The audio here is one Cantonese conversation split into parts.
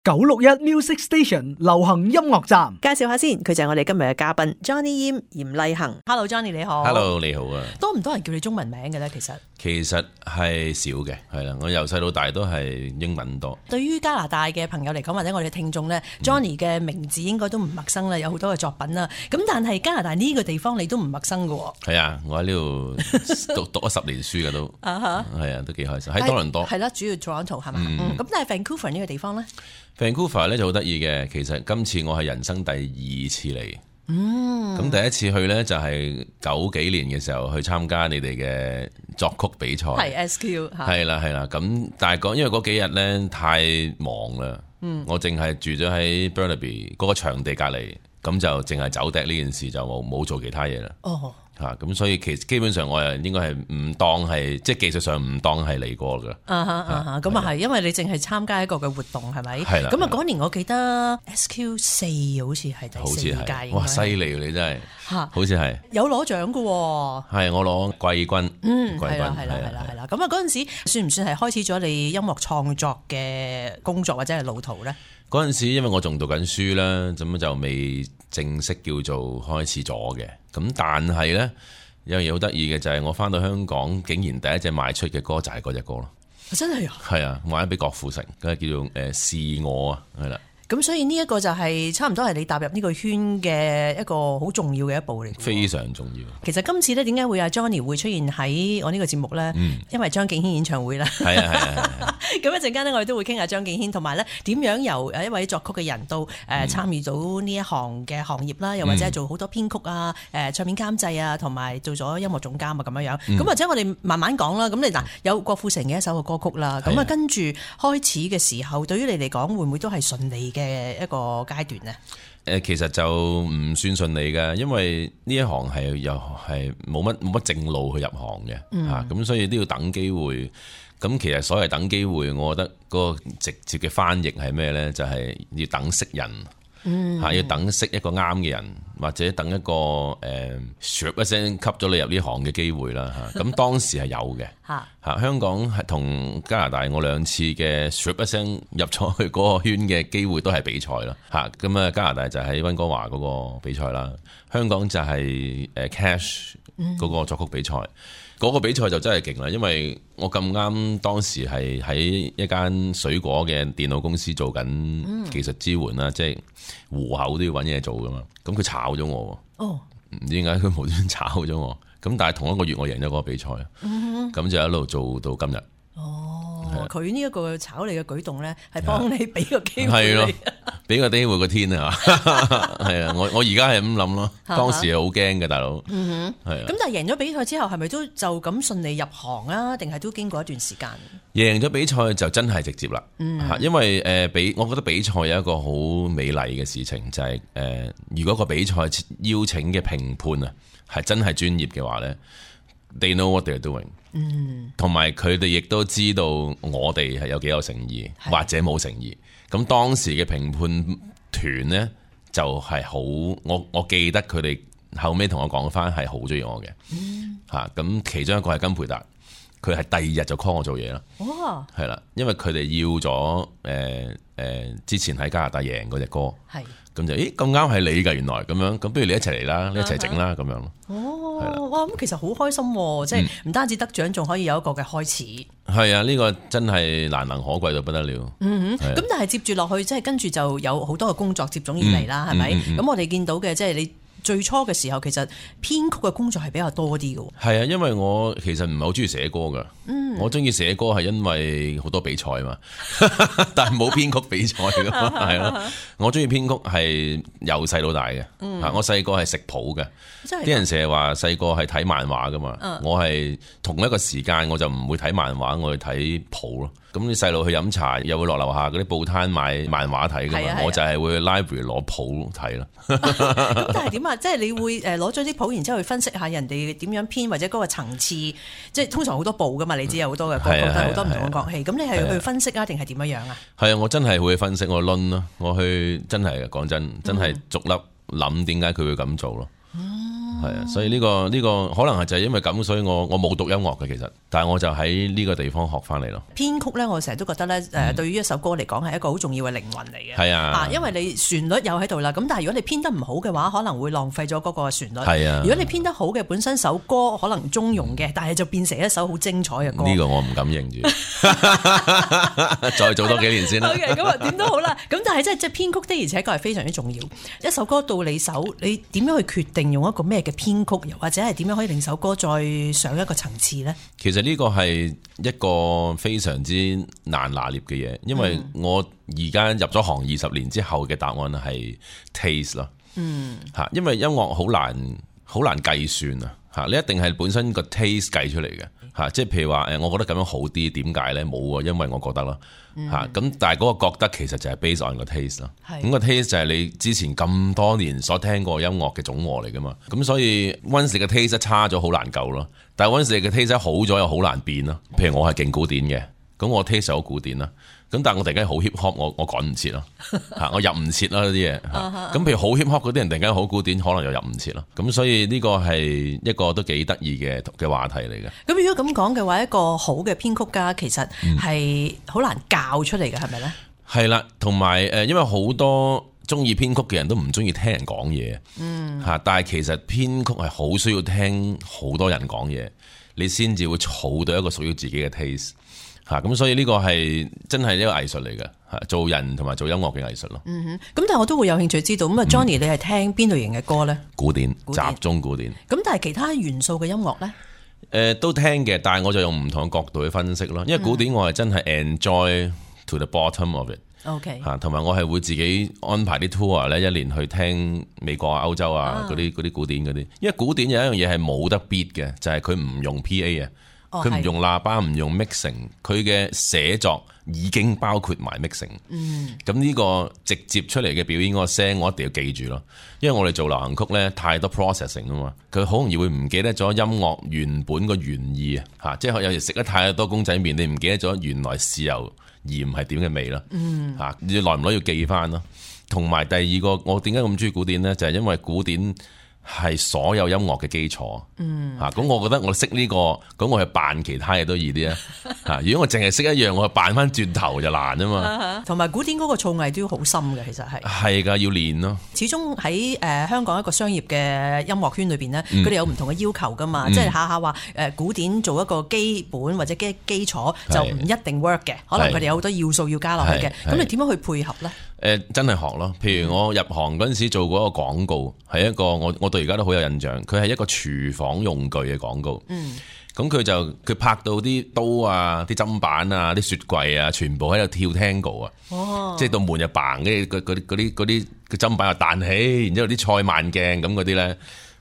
961 Music Station 流行音樂站，介紹下先，佢就係我哋今日嘅嘉賓 Johnny Yim 嚴麗恒。Hello Johnny 你好。 Hello 你好啊。多唔多人叫你中文名嘅咧？其實係少嘅，係啦，我由細到大都係英文多。對於加拿大嘅朋友嚟講，或者我哋嘅聽眾咧，Johnny 嘅名字應該都唔陌生啦，有好多嘅作品啦。咁但係加拿大呢個地方你都唔陌生嘅喎。係啊，我喺呢度讀咗10年書嘅都，係啊，都幾開心。喺多倫多。係啦，主要 Toronto 係嘛？咁但係 Vancouver 呢個地方咧？ Vancouver 咧就好得意嘅，其實今次我係人生第2次嚟。咁第一次去咧就係90幾年嘅時候去參加你哋嘅作曲比賽，係 SQ 嚇。係啦，咁但係因為嗰幾日咧太忙啦，我淨係住咗喺 Burnaby 嗰個場地隔離，咁就淨係走趯呢件事就冇做其他嘢啦。哦。咁所以其實基本上我係應該係唔當係，即係技術上唔當係嚟過㗎。咁啊係，因為你淨係參加一個嘅活動係咪？係啦。咁啊嗰年我記得 SQ4 好似係第4屆。哇！犀利你真係，好似係有攞獎㗎喎。係我攞季軍。係啦。咁啊嗰陣時算唔算係開始咗你音樂創作嘅工作或者係路途咧？嗰陣時因為我仲讀緊書啦，咁就未正式叫做開始咗嘅。咁但係呢，有樣嘢好得意嘅就係我翻到香港，竟然第一隻賣出嘅歌就係嗰隻歌咯。真係啊！係啊，賣咗俾郭富城，佢係叫做是我啊，係啦。咁所以呢一個就係差唔多係你踏入呢個圈嘅一個好重要嘅一步嚟。非常重要。其實今次咧點解會阿 Johnny 會出現喺我呢個節目咧？因為張敬軒演唱會啦。係啊。咁一陣間咧，我哋都會傾下張敬軒，同埋咧點樣由一位作曲嘅人到參與到呢一行嘅行業啦，又或者係做好多編曲啊、唱片監製啊，同埋做咗音樂總監啊咁樣樣。咁或者我哋慢慢講啦。咁你嗱有郭富城嘅一首嘅歌曲啦，咁啊跟住開始嘅時候，對於你嚟講會唔會都係順利嘅一個階段呢？其實就唔算順利㗎，因為呢一行係又係冇乜正路去入行嘅咁所以都要等機會。咁其實所謂等機會，我覺得嗰個直接嘅翻譯係咩呢？就係要等識人，要等識一個啱嘅人，或者等一個一聲吸咗你入呢行嘅機會啦。咁當時係有嘅。香港係同加拿大我2次嘅一聲入咗去嗰個圈嘅機會都係比賽啦。咁啊加拿大就喺溫哥華嗰個比賽啦，香港就係Cash 嗰個作曲比賽。嗰個比賽就真係勁啦，因為我咁啱當時係喺一間水果嘅電腦公司做緊技術支援啦，即係戶口都要揾嘢做噶嘛。咁佢炒咗我喎，唔知點解佢無端端炒咗我。咁但係同一個月我贏咗嗰個比賽，咁就一路做到今日。佢呢一個炒你嘅舉動咧，係幫你俾個機會你。係咯，俾個機會個天啊！係啊，我而家係咁諗咯，當時係好驚嘅大佬。係啊。咁但係贏咗比賽之後，係咪都就咁順利入行啊？定係都經過一段時間？贏咗比賽就真係直接啦。因為我覺得比賽有一個好美麗嘅事情，就係如果個比賽邀請嘅評判啊，係真係專業嘅話咧，they know what they're doing。同埋佢哋亦都知道我哋係有幾有誠意，或者冇誠意。咁當時嘅評判團呢，就係好，我記得佢哋後尾同我講翻係好中意我嘅。咁其中一個係金培達，佢係第2日就 call 我做嘢啦。係啦，因為佢哋要咗之前喺加拿大贏嗰隻歌，咁就咁啱係你㗎，原來咁樣，咁不如你一齊嚟啦，你一齊整啦咁樣咯。哇！咁其實好開心喎，即係唔單止得獎，仲可以有一個嘅開始。係啊，呢個真係難能可貴到不得了。咁但係接住落去，即係跟住就有好多嘅工作接踵而嚟啦，係咪？咁我哋見到嘅即係你最初嘅時候，其實編曲嘅工作係比較多啲嘅。係啊，因為我其實唔係好中意寫歌噶。我中意寫歌係因為好多比賽嘛，但係冇編曲比賽噶嘛，係咯。我中意編曲係由細到大嘅。我細個係食譜嘅，啲人成日話細個係睇漫畫噶嘛。我係同一個時間我就唔會睇漫畫，我去睇譜咯。咁啲細路去飲茶，又會落樓下嗰啲報攤買漫畫睇噶嘛。我就係會去 library 攞譜睇咯。咁但係點啊？即係你會攞咗啲譜，然之後去分析下人哋點樣編，或者嗰個層次，即係通常好多部噶嘛。你知有好多嘅歌曲，好多唔同嘅樂器。咁你係去分析啊，定係點樣啊？係啊，我真係會分析，我論咯，我去真係講真係逐粒諗點解佢會咁做咯。係啊，所以呢個可能係就係因為咁，所以我冇讀音樂嘅其實，但係我就喺呢個地方學翻嚟咯。編曲咧，我成日都覺得咧，對於一首歌嚟講係一個好重要嘅靈魂嚟嘅。係啊，因為你旋律又喺度啦，咁但係如果你編得唔好嘅話，可能會浪費咗嗰個旋律。係啊，如果你編得好嘅，本身首歌可能中庸嘅，但係就變成一首好精彩嘅歌。呢個我唔敢認住，再做多幾年先啦。OK， 咁啊點都好啦。咁但係即係編曲的，而且確係非常之重要。一首歌到你手，你點樣去決定用一個咩嘅編曲，又或者係點樣可以令首歌再上一個層次呢？其實呢個係一個非常之難拿捏嘅嘢，因為我而家入咗行20年之後嘅答案係 taste 咯。因為音樂好難計算啊，你一定係本身個 taste 計出嚟嘅，即係譬如話我覺得咁樣好啲，點解呢？冇啊，因為我覺得咯。咁但係嗰個覺得其實就係 based on 個 taste 咯。咁個 taste 就係你之前咁多年所聽過音樂嘅總和嚟噶嘛。咁所以 once 你嘅 taste 差咗好難救咯，但係 once 你嘅 taste 好咗又好難變咯。譬如我係勁古典嘅，咁我 taste 好古典啦。咁但係我突然間好 hip hop，我趕唔切咯，我入唔切啦啲嘢。咁譬如好 hip hop 嗰啲人突然間好古典，可能又入唔切咯。咁所以呢個係一個都幾得意嘅話題嚟嘅。咁如果咁講嘅話，一個好嘅編曲家其實係好難教出嚟嘅，係咪咧？係啦，同埋因為好多中意編曲嘅人都唔中意聽人講嘢，但係其實編曲係好需要聽好多人講嘢，你先至會儲到一個屬於自己嘅 taste。咁所以呢個係真係一個藝術嚟嘅，做人同埋做音樂嘅藝術咯。咁但係我都會有興趣知道，咁啊 Johnny 你係聽邊類型嘅歌呢？古典，集中古典。咁但係其他元素嘅音樂呢？都聽嘅，但係我就用唔同嘅角度去分析咯。因為古典我係真係 enjoy to the bottom of it。OK。同埋我係會自己安排啲 tour 咧，一年去聽美國啊、歐洲啊嗰啲古典嗰啲。因為古典有一樣嘢係冇得 beat 嘅，就係佢唔用 PA 啊。佢唔用喇叭，唔用 mixing， 佢嘅寫作已經包括埋 mixing。咁呢個直接出嚟嘅表演嗰個聲，我一定要記住咯。因為我哋做流行曲呢，太多 processing 啊嘛，佢好容易會唔記得咗音樂原本個原意啊。即係有時食得太多公仔麵，你唔記得咗原來豉油鹽係點嘅味啦。你耐唔耐要記翻咯。同埋第二個，我點解咁中意古典呢？就係因為古典係所有音樂嘅基礎，咁我覺得我識呢個，咁我去扮其他嘢都易啲啊！如果我淨係識一樣，我去扮翻轉頭就難啊嘛。同埋古典嗰個造詣都要好深嘅，其實係㗎，要練咯。始終喺香港一個商業嘅音樂圈裏邊呢，佢哋有唔同嘅要求噶嘛，即係下下話古典做一個基本或者基礎就唔一定 work 嘅，可能佢哋有好多要素要加落去嘅。咁你點樣去配合呢？真係學咯。譬如我入行嗰陣時做過一個廣告，係一個我對而家都好有印象。佢係一個廚房用具嘅廣告。咁佢拍到啲刀啊、啲砧板啊、啲雪櫃啊，全部喺度跳 tango 啊。即係到門就嘭，跟住嗰啲砧板又彈起，然之後啲賽慢鏡咁嗰啲咧。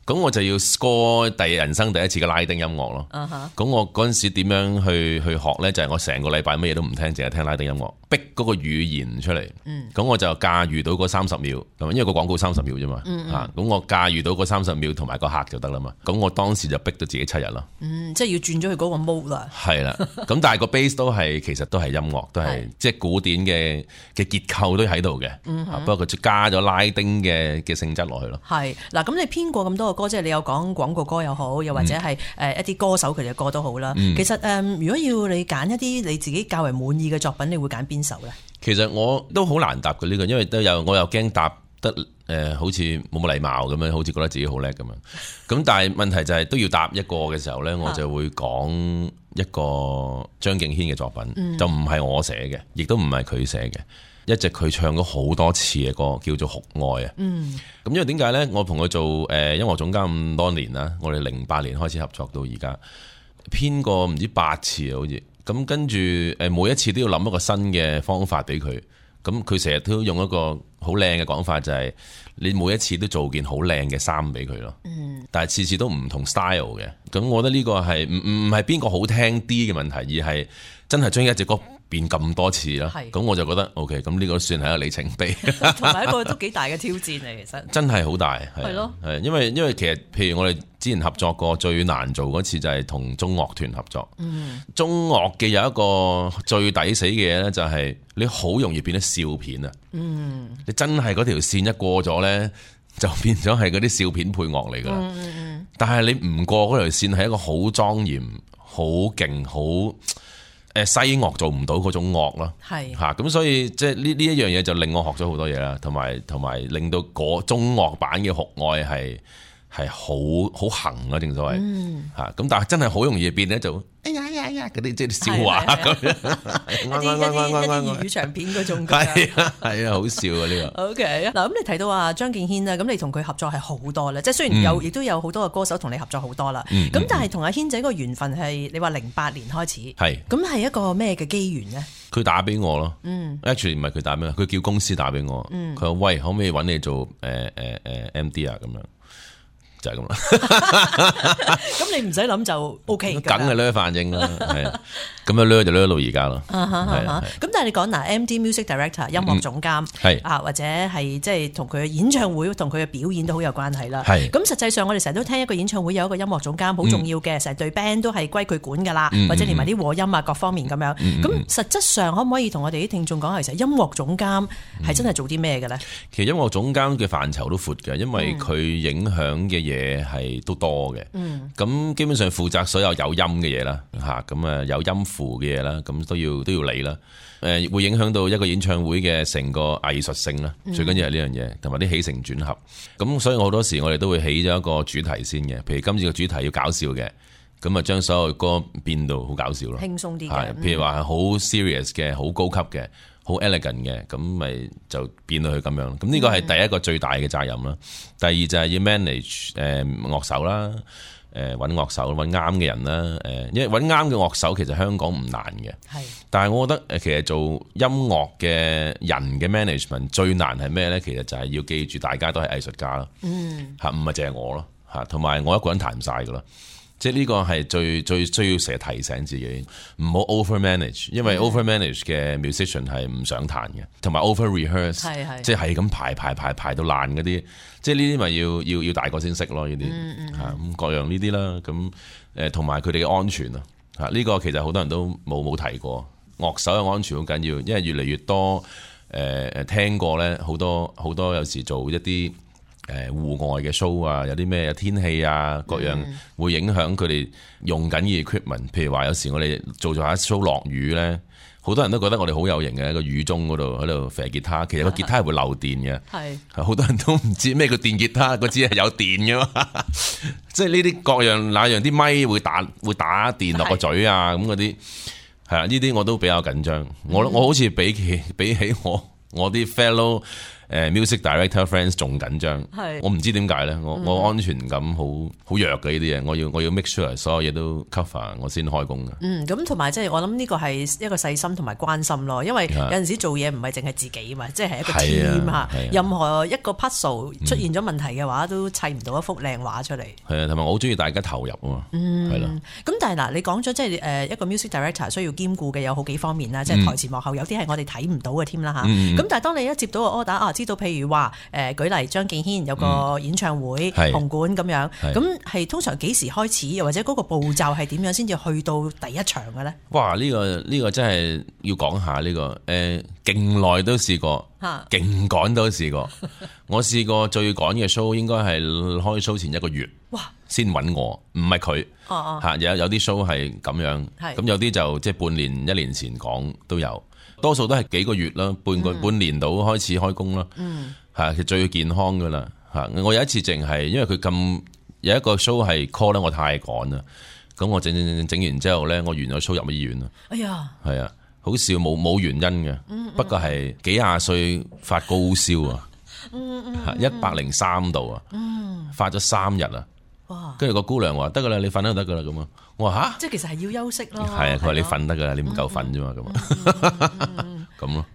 咁我就要 score 人生第一次嘅拉丁音樂咯。咁我嗰陣時點樣去學呢？就係我成個禮拜乜嘢都唔聽，淨係聽拉丁音樂，逼嗰個語言出嚟。咁我就駕馭到嗰30秒，因為個廣告30秒啫嘛。咁我駕馭到嗰30秒同埋個客就得啦嘛。咁我當時就逼到自己7日咯。即係要轉咗去嗰個 mode 啦。係啦。咁但係個 base 其實都係音樂，都係即係古典嘅結構都喺度嘅。不過佢加咗拉丁嘅性質落去咯。係嗱，咁你編過咁多歌，即係你有講廣告歌又好，又或者係一啲歌手佢哋嘅歌都好啦。其實如果要你揀一啲你自己較為滿意嘅作品，你會揀邊首呢？其實我都好難答嘅呢個，因為我又驚答得好似冇乜禮貌咁樣，好似覺得自己好叻咁樣。咁但係問題就係都要答一個嘅時候呢，我就會講一個張敬軒嘅作品，就唔係我寫嘅，亦都唔係佢寫嘅。一隻佢唱咗好多次嘅歌，叫做《酷愛》啊。咁因為點解呢？我同佢做音樂總監咁多年啦，我哋08年開始合作到而家，編過唔知8次啊，好似咁。跟住每一次都要諗一個新嘅方法俾佢。咁佢成日都用一個好靚嘅講法，就係你每一次都做件好靚嘅衫俾佢咯。但係次次都唔同 style 嘅。咁我覺得呢個係唔係邊個好聽啲嘅問題，而係真係將一隻歌變咁多次啦，咁我就覺得 OK， 咁呢個算係一個里程碑，同埋一個都幾大嘅挑戰嚟，其實真係好大，係咯，係因為其實譬如我哋之前合作過最難做嗰次就係同中樂團合作，中樂嘅有一個最抵死嘅嘢咧，就係你好容易變得笑片啊，你真係嗰條線一過咗咧，就變咗係嗰啲笑片配樂嚟噶啦。但係你唔過嗰條線係一個好莊嚴、好勁、好西樂做唔到嗰種樂咯。係嚇，咁所以即係呢一樣嘢就令我學咗好多嘢啦，同埋令到嗰中樂版嘅酷愛係好行啊，正所謂嚇。咁但係真係好容易變咧，就哎呀嗰啲即係笑話咁樣，一啲粵語長片嗰種。係啊，好笑啊呢個。OK 嗱，咁你提到話張敬軒啦，咁你同佢合作係好多咧，即係雖然亦都有好多個歌手同你合作好多啦。咁但係同阿軒仔個緣分係你話08年開始，係咁係一個咩嘅機緣咧？佢打俾我咯，actually 唔係佢打俾我，佢叫公司打俾我，佢話喂，可唔可以揾你做MD 啊咁樣。就係咁啦，咁你唔使諗就 OK 㗎，梗係掠反應啦，係咁樣掠就掠到而家咯。咁但係你講嗱，MD Music Director 音樂總監係啊，或者係即係同佢嘅演唱會同佢嘅表演都好有關係啦。係咁實際上我哋成日都聽一個演唱會有一個音樂總監好重要嘅，成隊 band 都係歸佢管㗎啦，或者連埋啲和音啊各方面咁樣。咁實質上可唔可以同我哋啲聽眾講，其實音樂總監係真係做啲咩嘅咧？其實音樂總監嘅範疇都闊嘅，因為佢影響嘅嘢係都多嘅，咁基本上負責所有有音嘅嘢啦，吓咁啊有音符嘅嘢啦，咁都要理啦。會影響到一個演唱會嘅成個藝術性啦，最緊要係呢樣嘢，同埋啲起承轉合。咁所以好多時我哋都會起咗一個主題先嘅，譬如今次個主題要搞笑嘅，咁啊將所有歌變到好搞笑咯，輕鬆啲嘅。譬如話係好 serious 嘅，好高級嘅，好 elegant 嘅，咁咪就變到佢咁樣。咁呢個係第一個最大嘅責任啦。第二就係要 manage 樂手啦，揾樂手揾啱嘅人啦。因為揾啱嘅樂手其實香港唔難嘅，係。但係我覺得其實做音樂嘅人嘅 management 最難係咩咧？其實就係要記住大家都係藝術家咯，嚇唔係淨係我咯，嚇同埋我一個人彈唔晒噶啦。即係呢個係最需要成日提醒自己，唔好 over manage， 因為 over manage 嘅 musician 係唔想彈嘅，同埋 over rehearse， 即係咁排到爛嗰啲，即係呢啲咪要大個先識咯，呢啲咁各樣呢啲啦，咁同埋佢哋嘅安全啊，呢個其實好多人都冇提過，樂手嘅安全好緊要，因為越嚟越多聽過咧，好多有時做一啲戶外嘅 show 啊，有啲咩天氣啊，各樣會影響佢哋用緊嘅 equipment。譬如話有時我哋做下 show 落雨咧，好多人都覺得我哋好有型嘅，個雨中嗰度喺度射吉他，其實個吉他係會漏電嘅。係好多人都唔知咩叫電吉他，個支係有電嘅嘛。即係呢啲各樣那樣啲咪會打電落個嘴啊，咁嗰啲係啊，呢啲我都比較緊張。我好似比起我啲 fellow music director friends 仲緊張，我唔知點解咧，我安全感好弱嘅呢啲嘢，我要 make sure 所有嘢都 cover 我先開工嘅。咁同埋即係我諗呢個係一個細心同埋關心咯，因為有陣時做嘢唔係淨係自己嘛，即係一個 team 嚇，任何一個 puzzle 出現咗問題嘅話，都砌唔到一幅靚畫出嚟。係啊，同埋我好中意大家投入啊嘛，係啦。咁但係嗱，你講咗即係一個 music director 需要兼顧嘅有好幾方面啦，即係台前幕後有啲係我哋睇唔到嘅添啦嚇。咁但係當你一接到個 order 知道譬如話舉例張敬軒有個演唱會紅館咁樣，咁係通常幾時開始，又或者嗰個步驟係點樣先至去到第一場嘅咧？哇！呢個真係要講下呢個勁耐都試過，勁趕都試過。我試過最趕嘅 show 應該係開 show 前1個月，哇！先揾我，唔係佢嚇。有啲 show 係咁樣，咁有啲就即係半年1年前講都有。多數都係幾個月啦，半年到開始開工啦，係其實最健康噶啦嚇。我有一次淨係因為佢咁有一個 show 係 call 咧，我太趕啦，咁我整完之後咧，我完咗 show 入咗醫院啦。哎呀，係啊，好笑冇原因嘅，不過係幾廿歲發高燒啊，103度啊，發咗3日啊。哇！跟住個姑娘話得噶啦，你瞓都得噶啦咁啊！我話吓，即係其實係要休息咯。係啊，佢話你瞓得噶啦，你唔夠瞓啫嘛咁咁咯。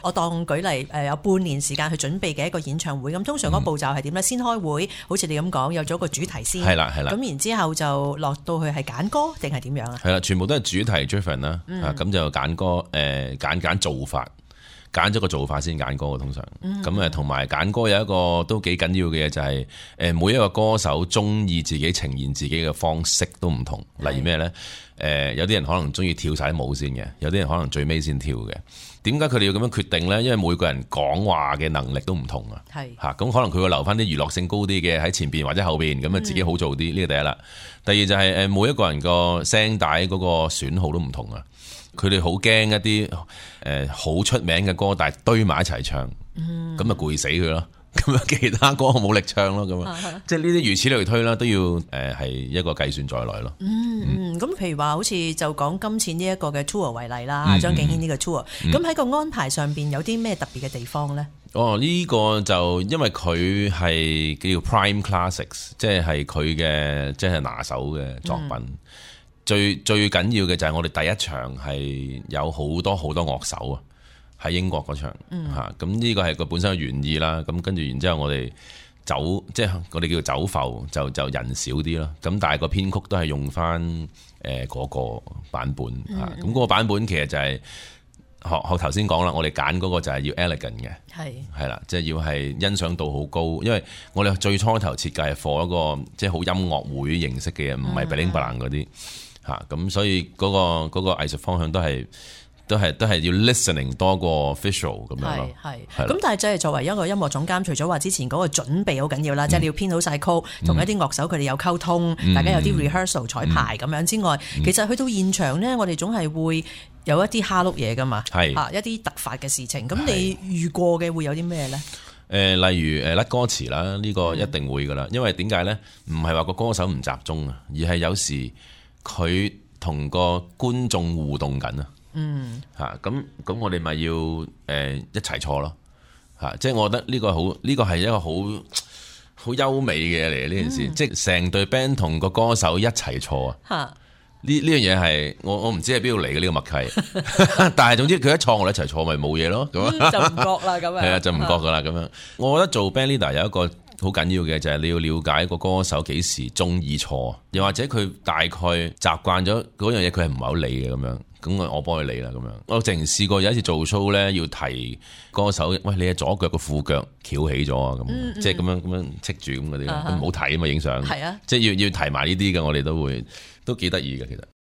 我當舉例有半年時間去準備嘅一個演唱會，咁通常嗰步驟係點咧？先開會，好似你咁講，有咗個主題先。係啦。咁然之後就落到去係揀歌定係點樣啊？係啦，全部都係主題 driven 啦。咁就揀歌揀做法。揀咗個做法先揀歌嘅通常。咁同埋揀歌有一個都幾緊要嘅嘢就係每一個歌手中意自己呈現自己嘅方式都唔同。例如咩呢？有啲人可能中意跳晒啲舞先嘅，有啲人可能最尾先跳嘅。點解佢哋要咁樣決定呢？因為每個人講話嘅能力都唔同啊。係嚇，咁可能佢會留翻啲娛樂性高啲嘅喺前邊或者後邊，咁啊自己好做啲。呢個第一啦。第二就係每一個人個聲帶嗰個損耗都唔同啊。佢哋好驚一啲好出名嘅歌，但係堆埋一齊唱，咁啊攰死佢咯。咁啊其他歌冇力唱咯，咁啊即係呢啲如此類推啦，都要係一個計算在內咯。咁譬如話好似就講今次呢一個嘅 tour 為例啦，張敬軒呢個 tour，咁喺個安排上邊有啲咩特別嘅地方咧？呢個就因為佢係叫 Prime Classics， 即係佢嘅即係拿手嘅作品。最緊要嘅就係我哋第一場係有好多樂手啊，喺英國嗰場嚇，咁呢個係佢本身嘅原意啦。咁跟住然之後我哋即係我哋叫走埠，就人少啲咯。咁但係個編曲都係用翻嗰個版本嚇。咁嗰個版本其實就係學頭先講啦，我哋揀嗰個就係要 elegant 嘅，係啦，即係要係欣賞度好高。因為我哋最初頭設計係 for 一個即係好音樂會形式嘅嘢，唔係 bling bling 嗰啲。咁所以嗰個藝術方向都係要 listening 多過 visual 咁樣咯。係咁但係即係作為一個音樂總監，除咗話之前嗰個準備好緊要啦，即係你要編好晒曲，同一啲樂手佢哋有溝通，大家有啲 rehearsal 彩排咁樣之外，其實去到現場呢，我哋總係會有一啲蝦碌嘢噶嘛，一啲突發嘅事情。咁你遇過嘅會有啲咩呢？例如甩歌詞啦，呢個一定會噶啦。因為點解呢？唔係話個歌手唔集中啊，而係有時佢同個觀眾互動緊啊，咁我哋咪要一齊錯咯，即係我覺得呢個係一個好優美嘅嘢嚟嘅呢件事，即係成隊 band 同個歌手一齊錯啊，呢樣嘢係我唔知係邊度嚟嘅呢個默契，但係總之佢一錯我哋一齊錯咪冇嘢咯，咁就唔覺啦咁樣，係啊就唔覺噶啦咁樣。我覺得做 band leader 有一個好緊要嘅就係你要了解個歌手幾時中意錯，又或者佢大概習慣咗嗰樣嘢，佢係唔係好理嘅咁樣，咁我幫佢理啦咁樣。我淨試過有一次做 show 咧，要提歌手，喂，你嘅左腳個褲腳翹起咗啊，咁即係咁樣戚住咁嗰啲，唔好睇啊嘛影相，即係要提埋呢啲嘅，我哋都幾得意嘅其實。